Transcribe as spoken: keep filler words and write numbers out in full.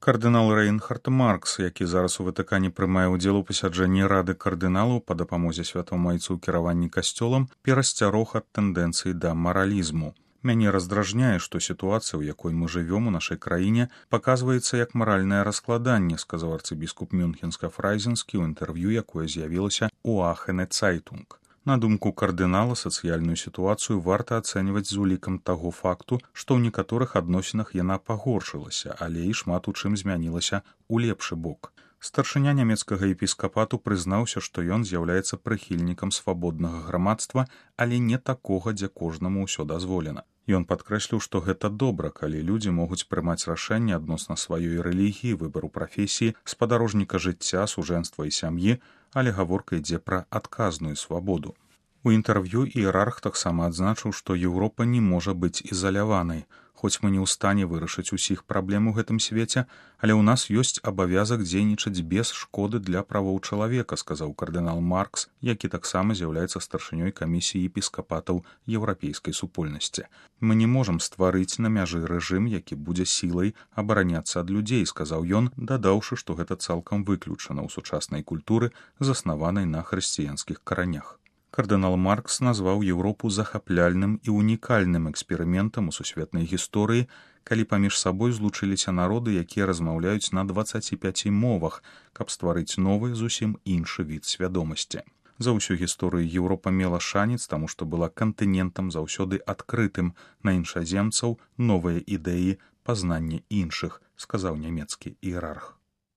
Кардынал Рэйнхард Маркс, які зараз у Ватыкане прымае ўдзел у пасяджэнні рады кардыналаў па дапамозе святому айцу ў кіраванні касцёлам, перасцярог ад тэндэнцыі да маралізму. Мяне раздражняе, што сітуацыя, у якой мы жывём у нашай краіне, паказваецца як маральнае раскладанне, сказаў арцыбіскуп Мюнхенска-Фрайзенскі ў інтэрв'ю, якое з'явілася ў Ахене Цайтунг. На думку кардынала, сацыяльную сітуацыю варта ацэньваць з улікам таго факту, што ў некаторых адносінах яна пагоршылася, але і шмат у чым змянілася ў лепшы бок. Старшыня нямецкага епіскапату прызнаўся, што ён з'яўляецца прыхільнікам свабоднага грамадства, але не такога, дзе кожнаму ўсё дазволена. Ён падкрэсліў, што гэта добра, калі людзі могуць прымаць рашэнні адносна сваёй рэлігіі, выбару прафесіі, спадарожніка жыцця, сужэнства і сям'і, але гаворка ідзе пра адказную свабоду. У інтэрв'ю іерарх таксама адзначыў, што Еўропа не можа быць ізаляванай. Хоць мы не ў стане вырашыць усіх праблем у гэтым свеце, але ў нас ёсць абавязак дзейнічаць без шкоды для правоў чалавека, сказаў кардынал Маркс, які таксама з'яўляецца старшынёй камісіі епіскапатаў еўрапейскай супольнасці. Мы не можам стварыць на мяжы рэжым, які будзе сілай абараняцца ад людзей, сказаў ён, дадаўшы, што гэта цалкам выключана ў сучаснай культуры, заснаванай на хрысціянскіх каранях. Кардынал Маркс назваў Еўропу захапляльным і унікальным эксперыментам у сусветнай гісторыі, калі паміж сабой злучыліся народы, якія размаўляюць на дваццаці пяці мовах, каб стварыць новы, зусім іншы від свядомасці. За ўсю гісторыю Еўропа мела шанец, таму што была кантынентам заўсёды адкрытым на іншаземцаў, новыя ідэі, пазнанне іншых, сказаў нямецкі іерарх.